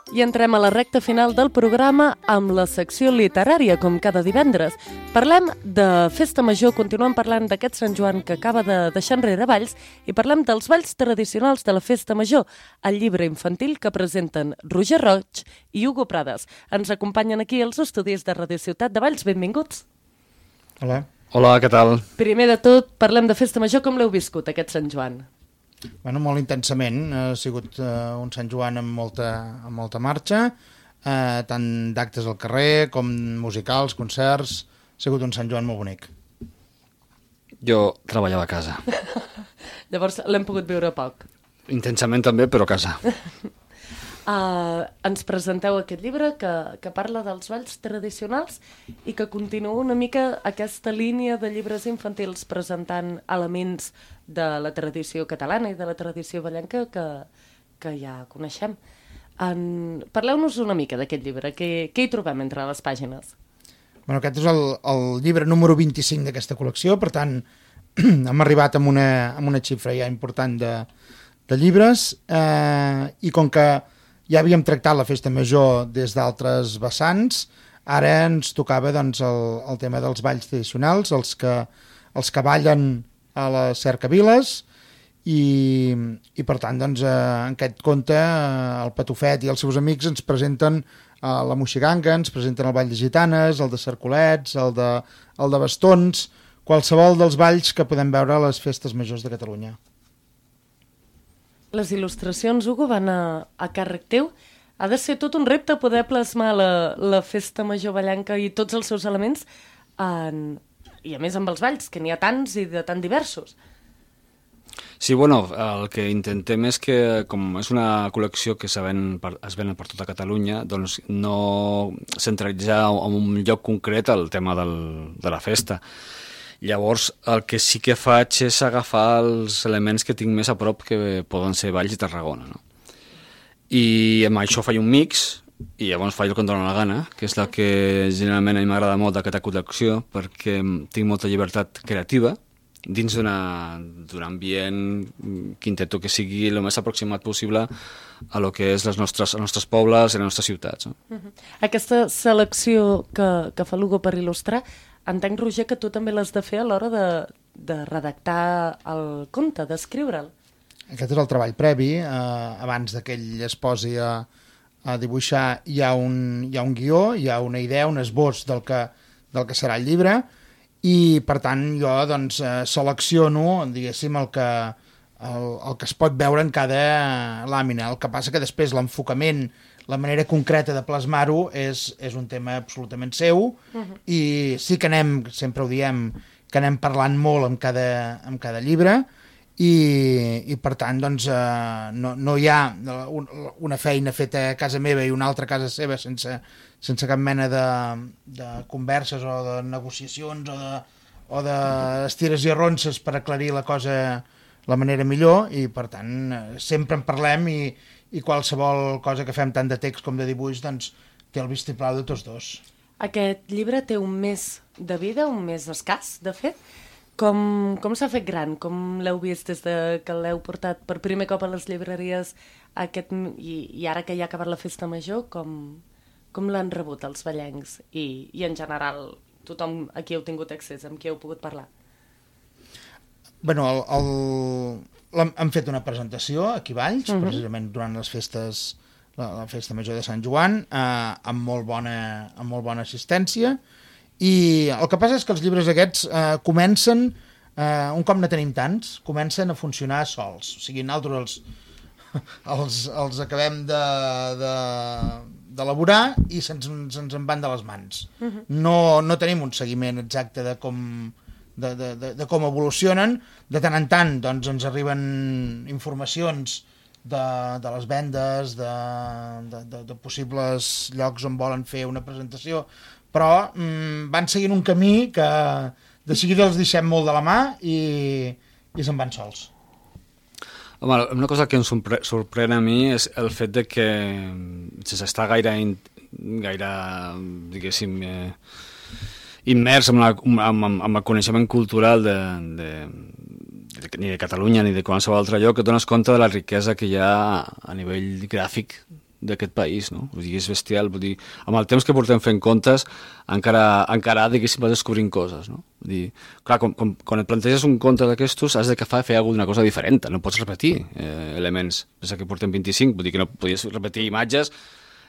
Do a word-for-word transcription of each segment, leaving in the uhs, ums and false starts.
I entrem a la recta final del programa amb la secció literària, com cada divendres. Parlem de Festa Major, continuem parlant d'aquest Sant Joan que acaba de deixar enrere Valls i parlem dels balls tradicionals de la Festa Major, el llibre infantil que presenten Roger Roig i Hugo Prades. Ens acompanyen aquí els estudis de Radio Ciutat de Valls. Benvinguts. Hola. Hola, què tal? Primer de tot, parlem de Festa Major. Com l'heu viscut, aquest Sant Joan? Bueno, molt intensament, ha sigut uh, un Sant Joan amb molta, amb molta marxa, uh, tant d'actes al carrer com musicals, concerts, ha sigut un Sant Joan molt bonic. Jo treballava a casa. Llavors l'hem pogut viure poc. Intensament també, però a casa. Uh, ens presenteu aquest llibre que, que parla dels balls tradicionals i que continua una mica aquesta línia de llibres infantils presentant elements de la tradició catalana i de la tradició ballenca que, que ja coneixem. En... Parleu-nos una mica d'aquest llibre. Què, què hi trobem entre les pàgines? Bueno, aquest és el, el llibre número vint-i-cinc d'aquesta col·lecció, per tant hem arribat amb una, amb una xifra ja important de, de llibres eh, i com que ja havíem tractat la Festa Major des d'altres vessants, ara ens tocava doncs, el, el tema dels balls tradicionals, els que, els que ballen a les cercaviles, i, i per tant, doncs, eh, en aquest conte, eh, el Patufet i els seus amics ens presenten eh, la Moixiganga, ens presenten el ball de gitanes, el de cercolets, el de, el de bastons, qualsevol dels balls que podem veure a les festes majors de Catalunya. Les il·lustracions, Hugo, van a, a càrrec teu. Ha de ser tot un repte poder plasmar la, la Festa Major ballenca i tots els seus elements, en... i a més amb els balls, que n'hi ha tants i de tan diversos. Sí, bueno, el que intentem és que, com és una col·lecció que es ven per, es ven per tota Catalunya, doncs no centralitzar en un lloc concret el tema del, de la festa. Llavors, el que sí que faig és agafar els elements que tinc més a prop, que poden ser Valls i Tarragona, no? I amb això faig un mix, i llavors faig el que em dóna la gana, que és la que generalment a mi m'agrada molt d'aquesta col·lecció, perquè tinc molta llibertat creativa dins d'un ambient que intento que sigui el més aproximat possible a lo que és les nostres, els nostres pobles i les nostres ciutats. No? Uh-huh. Aquesta selecció que, que fa l'Hugo per il·lustrar, entenc, Roger, que tu també l'has de fer a l'hora de, de redactar el conte, d'escriure'l. Aquest és el treball previ. Eh, abans que ell es posi a, a dibuixar, hi ha, un, hi ha un guió, hi ha una idea, un esbós del que, del que serà el llibre, i per tant jo doncs, eh, selecciono, diguéssim, el que, el, el que es pot veure en cada làmina. El que passa que després l'enfocament, la manera concreta de plasmar-ho és, és un tema absolutament seu, uh-huh. I sí que anem, sempre ho diem, que anem parlant molt amb cada, amb cada llibre, i, i per tant doncs, eh, no, no hi ha un, una feina feta a casa meva i una altra a casa seva sense, sense cap mena de, de converses o de negociacions o de, o de estires i arronses per aclarir la cosa la manera millor, i per tant sempre en parlem, i i qualsevol cosa que fem tant de text com de dibuix doncs té el vistiplau de tots dos. Aquest llibre té un mes de vida, un mes escàs, de fet. Com, com s'ha fet gran? Com l'heu vist des de que l'heu portat per primer cop a les llibreries aquest, i, i ara que ja ha acabat la Festa Major, com, com l'han rebut els ballencs i, i en general tothom a qui heu tingut accés, amb qui heu pogut parlar? Bueno, el... el... hem fet una presentació aquí a Valls, uh-huh. precisament durant les festes, la, la Festa Major de Sant Joan, eh, amb, molt bona, amb molt bona assistència, i el que passa és que els llibres aquests eh, comencen, eh, un cop ne tenim tants, comencen a funcionar sols, o sigui, nosaltres els, els, els acabem de, de, d'elaborar i se'ns, se'ns en van de les mans. Uh-huh. No, no tenim un seguiment exacte de com... De, de, de, de com evolucionen. De tant en tant doncs, ens arriben informacions de, de les vendes, de, de, de, de possibles llocs on volen fer una presentació, però mm, van seguint un camí que de seguida els deixem molt de la mà i, i se'n van sols. Home, una cosa que em sorprèn a mi és el fet de que sense estar gaire, gaire diguéssim, eh, immers amb, la, amb, amb el coneixement cultural de, de, de, ni de Catalunya ni de qualsevol altre lloc, que et dones compte de la riquesa que hi ha a nivell gràfic d'aquest país, no? Vull dir, és bestial, vull dir, amb el temps que portem fent contes, encara, encara diguéssim, vas descobrint coses, no? Vull dir, clar, com, com, quan et planteges un conte d'aquestos, has de fer, fer alguna cosa diferent, no pots repetir eh, elements. Pensa que portem vint-i-cinc, vull dir que no podies repetir imatges,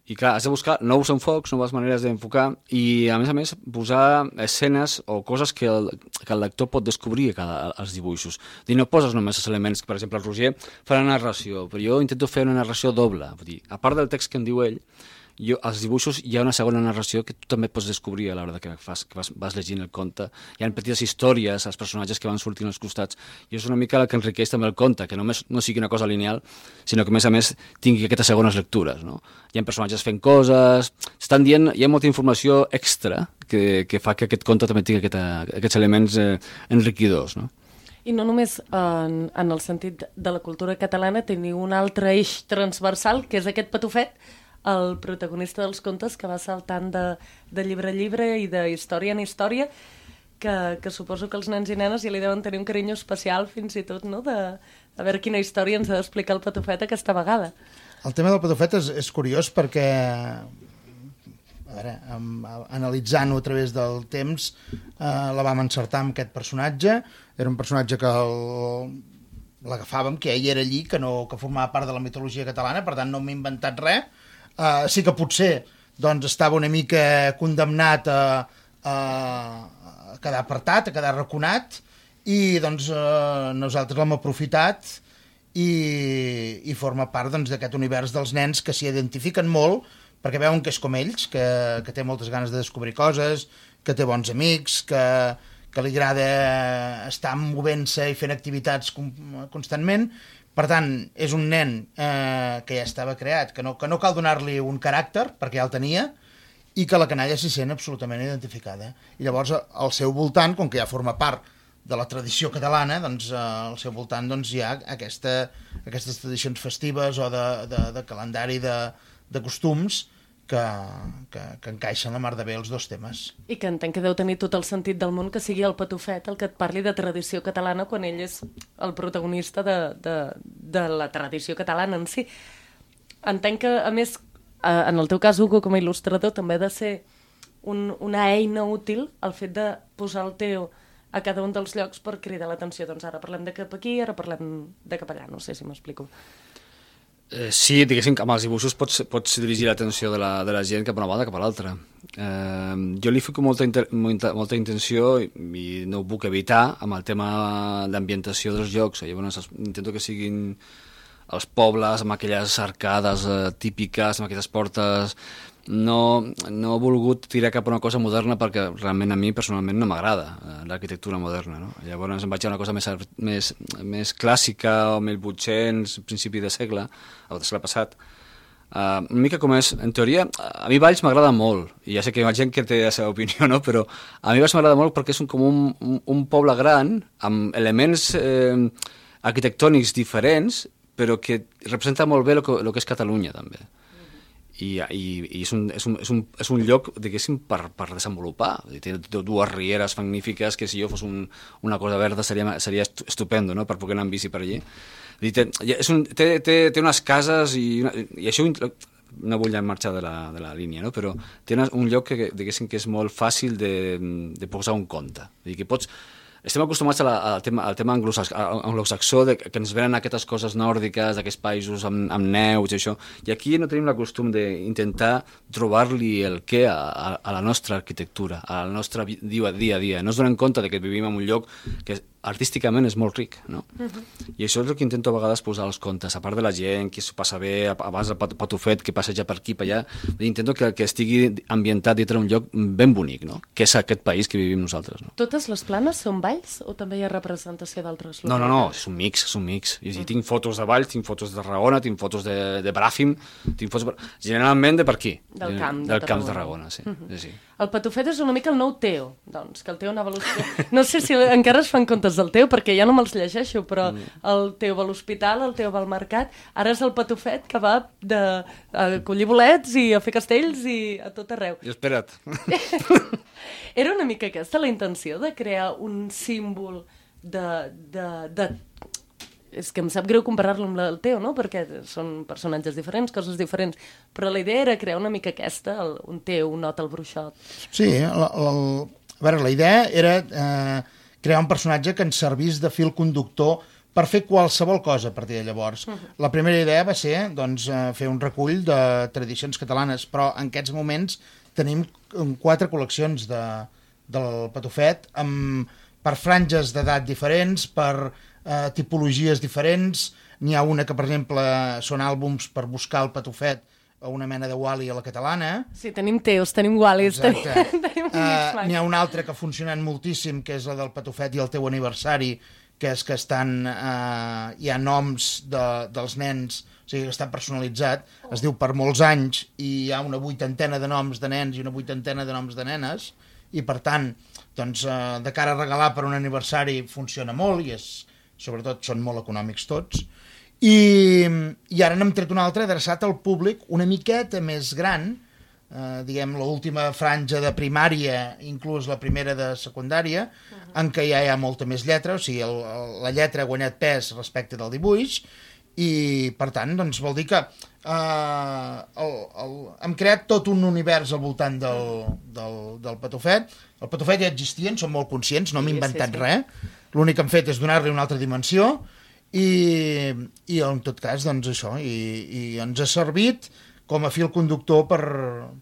i clar, has de buscar nous enfocs, noves maneres d'enfocar, i a més a més posar escenes o coses que el, que el lector pot descobrir a cada, als dibuixos. Dir, no poses només els elements, per exemple, el Roger fa la narració, però jo intento fer una narració doble. Vull dir, a part del text que em diu ell, jo, als dibuixos hi ha una segona narració que tu també pots descobrir a l'hora que, fas, que vas, vas llegint el conte. Hi ha petites històries, els personatges que van sortint als costats, i és una mica el que enriqueix també el conte, que només no sigui una cosa lineal, sinó que a més a més tingui aquestes segones lectures, no? Hi ha personatges fent coses, estan dient, hi ha molta informació extra que, que fa que aquest conte també tingui aquesta, aquests elements eh, enriquidors, no? I no només en, en el sentit de la cultura catalana, teniu un altre eix transversal, que és aquest patufet, el protagonista dels contes que va saltant de, de llibre a llibre i de història en història, que, que suposo que els nens i nenes ja li deuen tenir un carinyo especial fins i tot, no?, de, de veure quina història ens ha d'explicar el patufet aquesta vegada. El tema del patufet és, és curiós perquè, a veure, amb, analitzant-ho a través del temps, eh, la vam encertar amb aquest personatge. Era un personatge que el, l'agafàvem, que ell era allí, que, no, que formava part de la mitologia catalana, per tant no m'he inventat res. Uh, sí que potser doncs, estava una mica condemnat a, a, a quedar apartat, a quedar raconat, i doncs, uh, nosaltres l'hem aprofitat i, i forma part doncs, d'aquest univers dels nens que s'hi identifiquen molt perquè veuen que és com ells, que, que té moltes ganes de descobrir coses, que té bons amics, que, que li agrada estar movent-se i fent activitats constantment. Per tant, és un nen eh, que ja estava creat, que no, que no cal donar-li un caràcter, perquè ja el tenia, i que la canalla s'hi sent absolutament identificada. I llavors, al seu voltant, com que ja forma part de la tradició catalana, doncs eh, al seu voltant doncs, hi ha aquesta, aquestes tradicions festives o de, de, de calendari de, de costums que, que, que encaixen la mar de bé els dos temes. I que entenc que deu tenir tot el sentit del món que sigui el patufet el que et parli de tradició catalana quan ell és el protagonista de, de, de la tradició catalana en si. Entenc que, a més, en el teu cas, Hugo, com a il·lustrador, també ha de ser un, una eina útil el fet de posar el Teo a cada un dels llocs per cridar l'atenció. Doncs ara parlem de cap aquí, ara parlem de cap allà, no sé si m'explico. Eh, sí, diguéssim que amb els dibuixos pots, pots dirigir l'atenció de, la, de la gent cap a una banda cap a l'altra. Eh, jo li fico molta, inter, molta, molta intenció i, i no ho puc evitar amb el tema d'ambientació dels llocs. Llavors intento que siguin els pobles amb aquelles arcades eh, típiques, amb aquestes portes. No, no he volgut tirar cap a una cosa moderna perquè realment a mi personalment no m'agrada eh, l'arquitectura moderna, no? Llavors em vaig a una cosa més, més, més clàssica o mil vuit-cents, principi de segle, o de segle passat. Uh, una mica com és, en teoria, a mi Valls m'agrada molt, i ja sé que hi ha gent que té la seva opinió, no? Però a mi Valls m'agrada molt perquè és un, com un, un, un poble gran, amb elements eh, arquitectònics diferents, però que representa molt bé el que, el que és Catalunya, també. I, i, i és, un, és, un, és, un, és un lloc, diguéssim, per, per desenvolupar. Té dues rieres magnífiques que si jo fos un, una cosa verda seria, seria estupendo, no?, per poder anar en bici per allí. Té, és un, té, té, té unes cases i, una, i això no vull marxar de la, de la línia, no?, però té una, un lloc que, diguéssim, que és molt fàcil de, de posar un conte. Vull dir que pots... Estem acostumats al, al tema, al tema anglosaxó, de, que ens venen aquestes coses nòrdiques, d'aquests països amb, amb neus i això, i aquí no tenim la costum d'intentar trobar-li el què a, a, a la nostra arquitectura, a la nostra dia a dia. a dia. No ens donem compte de que vivim en un lloc que artísticament és molt ric, no? Uh-huh. I això és el que intento a vegades posar als contes, a part de la gent que s'ho passa bé, abans el patufet que passeja per aquí, per allà, intento que, que estigui ambientat dintre un lloc ben bonic, no?, que és aquest país que vivim nosaltres, no? Totes les planes són Valls o també hi ha representació d'altres localitats? No, no, no, és un mix, és un mix. I, uh-huh. Tinc fotos de Valls, tinc fotos de Tarragona, tinc fotos de, de Bràfim, tinc fotos... Generalment de per aquí. Del camp de Del Tarragona. camp de Tarragona, sí. Uh-huh. sí, sí. El patufet és una mica el nou Teo, doncs, que el Teo anava a l'hospital. No sé si encara es fan contes del Teo, perquè ja no me'ls llegeixo, però el Teo va a l'hospital, el Teo va al mercat, ara és el patufet que va de, a collir bolets i a fer castells i a tot arreu. I espera't. Era una mica aquesta la intenció de crear un símbol de... de, de és que em sap greu comparar-lo amb el teu, no? Perquè són personatges diferents, coses diferents, però la idea era crear una mica aquesta, el, un teu, un Ot el bruixot. Sí, la, la, a veure, la idea era eh, crear un personatge que ens servís de fil conductor per fer qualsevol cosa a partir de llavors. Uh -huh. La primera idea va ser doncs, fer un recull de tradicions catalanes, però en aquests moments tenim quatre col·leccions de, del Patufet amb, per franges d'edat diferents, per eh, tipologies diferents. N'hi ha una que, per exemple, són àlbums per buscar el Patufet o una mena de Wall-E a la catalana. Sí, tenim teus, tenim Wall-Es, tenim, tenim uh, N'hi ha una altra que ha funcionat moltíssim, que és la del Patufet i el teu aniversari, que és que estan, eh, hi ha noms de, dels nens, o sigui que està personalitzat, es diu per molts anys, i hi ha una vuitantena de noms de nens i una vuitantena de noms de nenes, i per tant, doncs, eh, de cara a regalar per un aniversari funciona molt, i és, sobretot són molt econòmics tots, i, i ara n'hem tret un altre adreçat al públic una miqueta més gran, eh, diguem, l'última franja de primària, inclús la primera de secundària, uh-huh. en què ja hi ha molta més lletra, o sigui, el, el, la lletra ha guanyat pes respecte del dibuix, i per tant, doncs, vol dir que eh, el, el, hem creat tot un univers al voltant del, del, del Patufet. El Patufet ja existia, en som molt conscients, no hem sí, inventat sí, sí. res, l'únic que hem fet és donar-li una altra dimensió, i, i en tot cas, doncs això, i, i ens ha servit com a fil conductor per,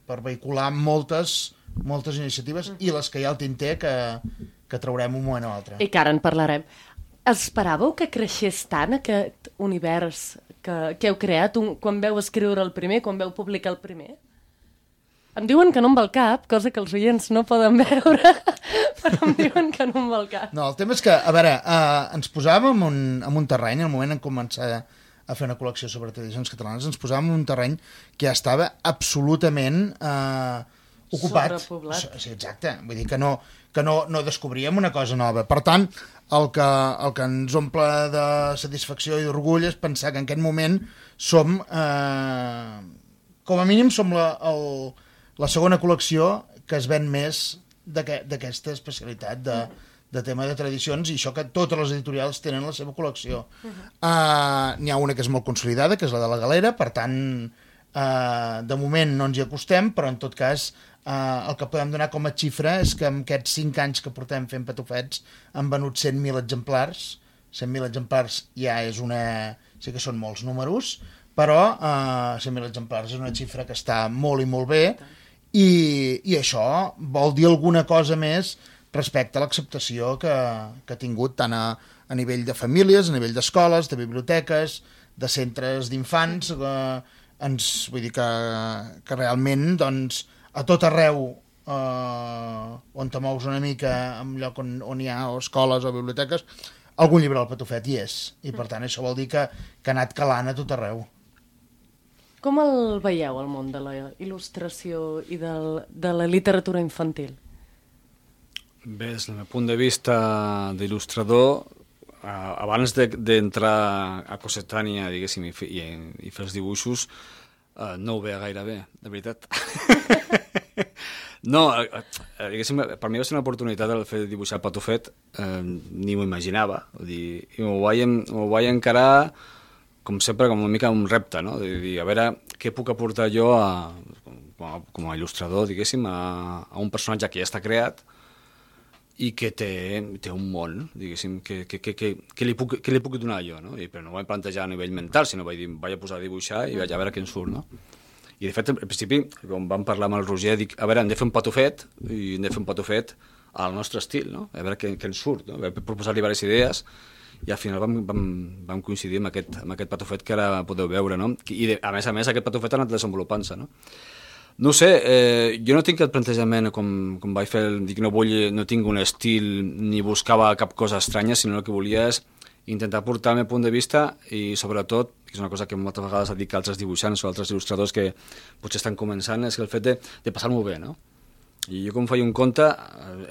per vehicular moltes, moltes iniciatives mm. i les que hi ha al tinter que, que traurem un moment o altre. I que ara en parlarem. Esperàveu que creixés tant aquest univers que, que heu creat un, quan veu escriure el primer, quan veu publicar el primer? Em diuen que no em va al cap, cosa que els oients no poden veure, però em diuen que no em va al cap. No, el tema és que, a veure, eh, ens posàvem en un, en un terreny, al moment en començar a fer una col·lecció sobre tradicions catalanes, ens posàvem en un terreny que ja estava absolutament eh, ocupat. Sobrepoblat. Sí, exacte. Vull dir que no, que no, no descobríem una cosa nova. Per tant, el que, el que ens omple de satisfacció i d'orgull és pensar que en aquest moment som, eh, com a mínim, som la, el, la segona col·lecció que es ven més d'aquesta especialitat de, de tema de tradicions, i això que totes les editorials tenen la seva col·lecció. Uh -huh. uh, N'hi ha una que és molt consolidada, que és la de la Galera, per tant, uh, de moment no ens hi acostem, però en tot cas uh, el que podem donar com a xifra és que en aquests cinc anys que portem fent patufets han venut cent mil exemplars. cent mil exemplars ja és una... sí que són molts números, però uh, cent mil exemplars és una xifra que està molt i molt bé, i, i això vol dir alguna cosa més respecte a l'acceptació que, que ha tingut tant a, a nivell de famílies, a nivell d'escoles, de biblioteques, de centres d'infants, eh, ens, vull dir que, que realment doncs, a tot arreu eh, on te mous una mica, en lloc on, on hi ha o escoles o biblioteques, algun llibre del Patufet hi és, i per tant això vol dir que, que ha anat calant a tot arreu. Com el veieu, el món de la il·lustració i del, de la literatura infantil? Bé, des del meu punt de vista d'il·lustrador, eh, abans d'entrar a Cossetània, diguéssim, i, i, i fer els dibuixos, eh, no ho veia gaire bé, de veritat. No, eh, diguéssim, per mi va ser una oportunitat el fer de dibuixar el Patufet, eh, ni m'ho imaginava, vull dir, i m'ho vaig, vaig encarar, com sempre, com una mica un repte, no? De dir, a veure, què puc aportar jo a, com, a, com a il·lustrador, diguéssim, a, a un personatge que ja està creat, i que té, té un món, diguéssim, que, que, que, que, que, li puc, que li puc donar jo, no? I, però no ho vaig plantejar a nivell mental, sinó vaig dir, vaig a posar a dibuixar i vaig a veure què en surt, no? I de fet, al principi, quan vam parlar amb el Roger, dic, a veure, hem de fer un patufet, i hem de fer un patufet al nostre estil, no? A veure què, què en surt, no? Vam proposar-li diverses idees, i al final vam, vam, vam coincidir amb aquest, amb aquest patufet que ara podeu veure, no? I de, a més a més aquest patufet ha anat desenvolupant-se, no? No ho sé, eh, jo no tinc aquest plantejament com, com vaig fer, dic, no, vull, no tinc un estil ni buscava cap cosa estranya, sinó el que volia és intentar portar el meu punt de vista i sobretot, que és una cosa que moltes vegades ha dit que altres dibuixants o altres il·lustradors que potser estan començant, és que el fet de, de passar-m'ho bé, no? I jo com faig un compte,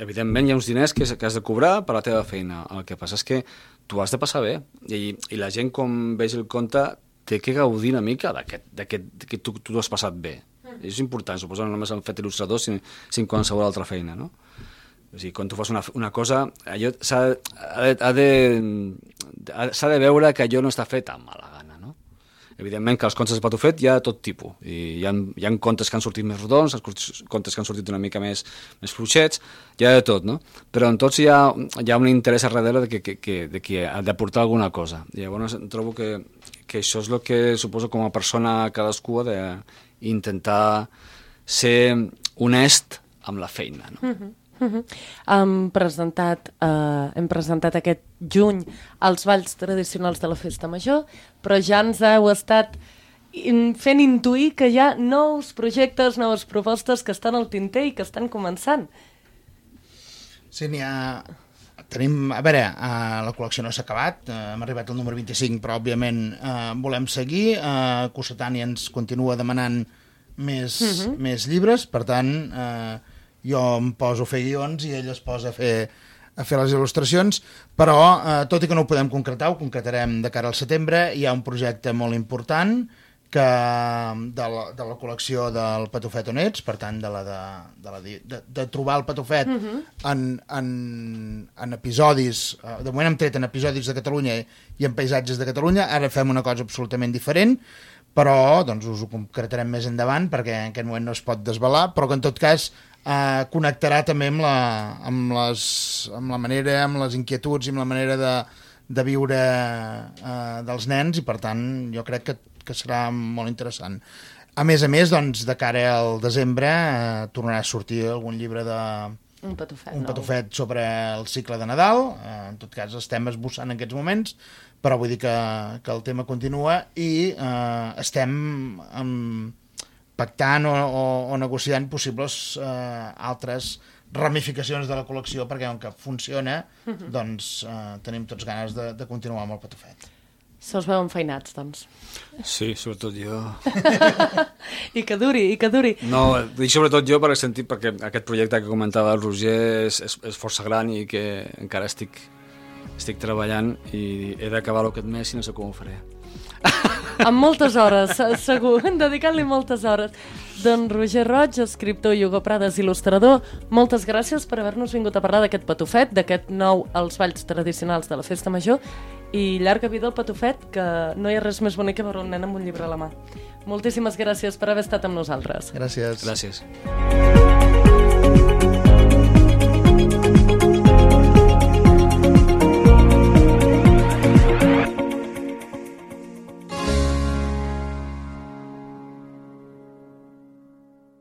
evidentment hi ha uns diners que, que has de cobrar per la teva feina, el que passa és que tu has de passar bé, i, i la gent com vegi el compte té que gaudir una mica d'aquest que tu, tu has passat bé. És important, suposo, no només en fet il·lustrador, sinó en qualsevol altra feina, no? O sigui, quan tu fas una, una cosa, allò s'ha ha de, ha de, s'ha de veure que allò no està fet amb mala gana, no? Evidentment que els contes de Patufet hi ha tot tipus. I hi ha, hi ha contes que han sortit més rodons, contes que han sortit una mica més, més fluixets, hi ha de tot, no? Però en tots hi ha, hi ha un interès a darrere de que, que, que, de que ha d'aportar alguna cosa. I llavors trobo que, que això és el que suposo com a persona cadascú ha d'intentar ser honest amb la feina, no? Mm-hmm. Uh-huh. Hem presentat, uh, hem presentat aquest juny els balls tradicionals de la Festa Major, però ja ens heu estat in, fent intuir que hi ha nous projectes, noves propostes que estan al tinter i que estan començant. Sí, n'hi ha... Tenim, a veure, uh, la col·lecció no s'ha acabat, uh, hem arribat al número vint-i-cinc, però òbviament uh, volem seguir. Uh, Cossetani ens continua demanant més, uh-huh. més llibres, per tant... Uh, jo em poso a fer guions i ell es posa a fer, a fer les il·lustracions, però eh, tot i que no ho podem concretar, ho concretarem de cara al setembre. Hi ha un projecte molt important que, de, la, de la col·lecció del Patufet on ets, per tant, de, la de, de, la, de, de trobar el Patufet uh-huh. en, en, en episodis, de moment hem tret en episodis de Catalunya i en paisatges de Catalunya, ara fem una cosa absolutament diferent, però doncs, us ho concretarem més endavant, perquè en aquest moment no es pot desvelar, però que en tot cas Uh, connectarà també amb la, amb, les, amb la manera, amb les inquietuds i amb la manera de, de viure uh, dels nens, i per tant jo crec que, que serà molt interessant. A més a més, doncs, de cara al desembre uh, tornarà a sortir algun llibre de... Un patufet, un patufet sobre el cicle de Nadal, uh, en tot cas estem esbossant en aquests moments, però vull dir que, que el tema continua i uh, estem amb pactant o, o, o negociant possibles eh, altres ramificacions de la col·lecció, perquè com que funciona, uh-huh. doncs eh, tenim tots ganes de, de continuar amb el Patufet. Se us veuen feinats, doncs. Sí, sobretot jo. I que duri, i que duri. No, dic sobretot jo per sentit, perquè aquest projecte que comentava el Roger és, és, és força gran i que encara estic, estic treballant i he d'acabar aquest mes i no sé com ho faré. Amb moltes hores, segur, dedicant-li moltes hores. Doncs Roger Roig, escriptor, i Hugo Prades, il·lustrador, moltes gràcies per haver-nos vingut a parlar d'aquest Patufet, d'aquest nou als balls tradicionals de la Festa Major, i llarga vida al Patufet, que no hi ha res més bonic que veure un nen amb un llibre a la mà. Moltíssimes gràcies per haver estat amb nosaltres. Gràcies. Gràcies.